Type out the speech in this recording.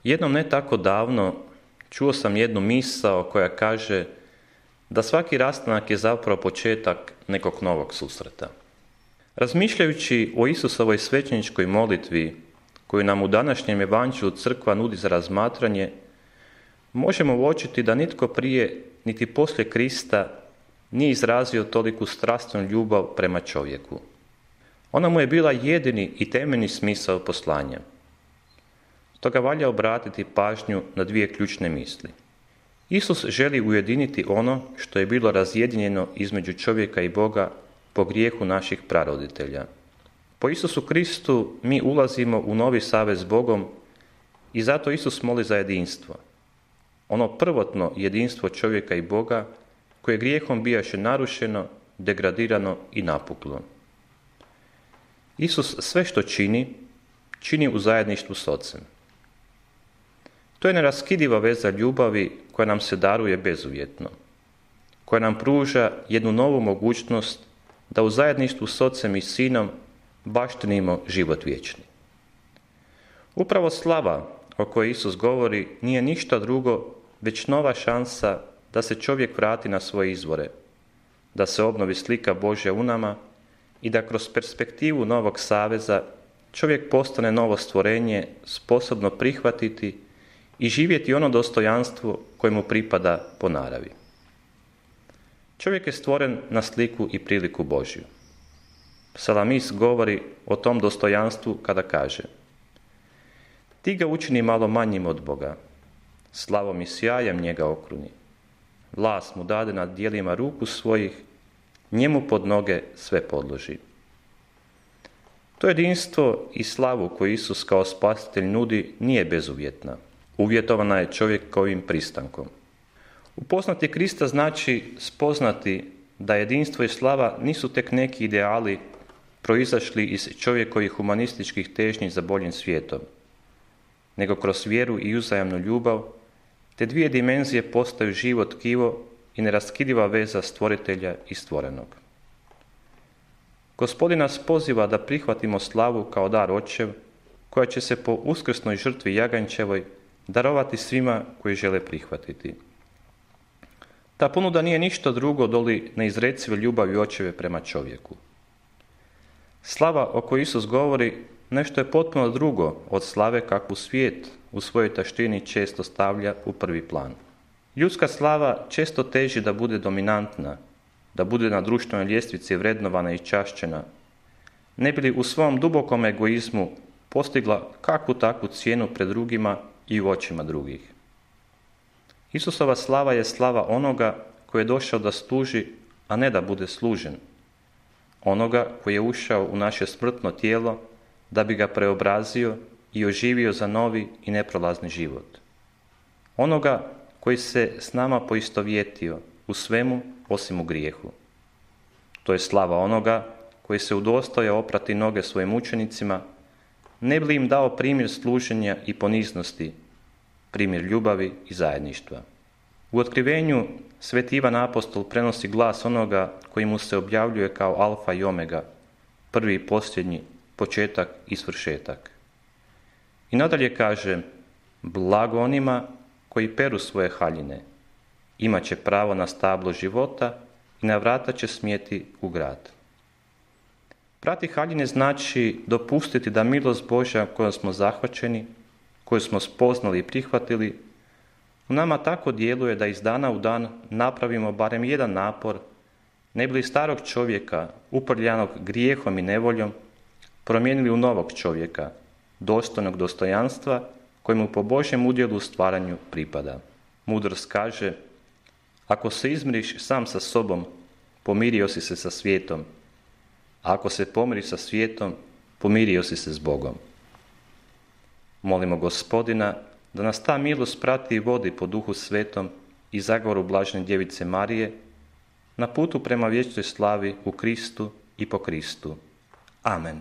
Jednom ne tako davno čuo sam jednu misao koja kaže da svaki rastanak je zapravo početak nekog novog susreta. Razmišljajući o Isusovoj svećeničkoj molitvi koju nam u današnjem evanđelju crkva nudi za razmatranje, možemo uočiti da nitko prije niti poslije Krista nije izrazio toliku strastvenu ljubav prema čovjeku. Ona mu je bila jedini i temeljni smisao poslanja. Stoga valja obratiti pažnju na dvije ključne misli. Isus želi ujediniti ono što je bilo razjedinjeno između čovjeka i Boga po grijehu naših praroditelja. Po Isusu Kristu mi ulazimo u novi savez s Bogom i zato Isus moli za jedinstvo. Ono prvotno jedinstvo čovjeka i Boga koje grijehom bijaše narušeno, degradirano i napuklo. Isus sve što čini u zajedništvu s Ocem. To je neraskidiva veza ljubavi koja nam se daruje bezuvjetno, koja nam pruža jednu novu mogućnost da u zajedništvu s Ocem i Sinom baštinimo život vječni. Upravo slava o kojoj Isus govori nije ništa drugo već nova šansa da se čovjek vrati na svoje izvore, da se obnovi slika Božja u nama i da kroz perspektivu novog saveza čovjek postane novo stvorenje sposobno prihvatiti i živjeti ono dostojanstvo koje mu pripada po naravi. Čovjek je stvoren na sliku i priliku Božju. Psalamist govori o tom dostojanstvu kada kaže: Ti ga učini malo manjim od Boga, slavom i sjajem njega okruni. Vlast mu dade nad dijelima ruku svojih, njemu pod noge sve podloži. To jedinstvo i slavu koju Isus kao spasitelj nudi nije bezuvjetna. Uvjetovana je čovjekovim pristankom. Upoznati Krista znači spoznati da jedinstvo i slava nisu tek neki ideali proizašli iz čovjekovih humanističkih težnji za boljim svijetom, nego kroz vjeru i uzajamnu ljubav, te dvije dimenzije postaju živo tkivo i neraskidiva veza stvoritelja i stvorenog. Gospodin nas poziva da prihvatimo slavu kao dar Očev, koja će se po uskrsnoj žrtvi jaganjčevoj darovati svima koji žele prihvatiti. Ta ponuda nije ništa drugo doli neizrecive ljubavi Očeve prema čovjeku. Slava o kojoj Isus govori nešto je potpuno drugo od slave kakvu svijet u svojoj taštini često stavlja u prvi plan. Ljudska slava često teži da bude dominantna, da bude na društvenoj ljestvici vrednovana i čašćena, ne bi li u svom dubokom egoizmu postigla kakvu takvu cijenu pred drugima i u očima drugih. Isusova slava je slava onoga koji je došao da služi, a ne da bude služen. Onoga koji je ušao u naše smrtno tijelo da bi ga preobrazio i oživio za novi i neprolazni život. Onoga koji se s nama poistovjetio u svemu osim u grijehu. To je slava onoga koji se udostojao oprati noge svojim učenicima, ne bi li im dao primjer služenja i poniznosti, primjer ljubavi i zajedništva. U otkrivenju Sveti Ivan Apostol prenosi glas onoga koji mu se objavljuje kao alfa i omega, prvi i posljednji, početak i svršetak. I nadalje kaže: Blago onima koji peru svoje haljine, imat će pravo na stablo života i na vrata će smjeti u grad. Prati haljine znači dopustiti da milost Božja kojom smo zahvaćeni, koju smo spoznali i prihvatili, u nama tako djeluje da iz dana u dan napravimo barem jedan napor, ne bi li starog čovjeka, uprljanog grijehom i nevoljom, promijenili u novog čovjeka, dostojnog dostojanstva kojemu po Božjem udjelu u stvaranju pripada. Mudrost kaže: Ako se izmiriš sam sa sobom, pomirio si se sa svijetom, a ako se pomiriš sa svijetom, pomirio si se s Bogom. Molimo Gospodina da nas ta milost prati i vodi po Duhu Svetom i zagovoru Blažene Djevice Marije na putu prema vječnoj slavi u Kristu i po Kristu. Amen.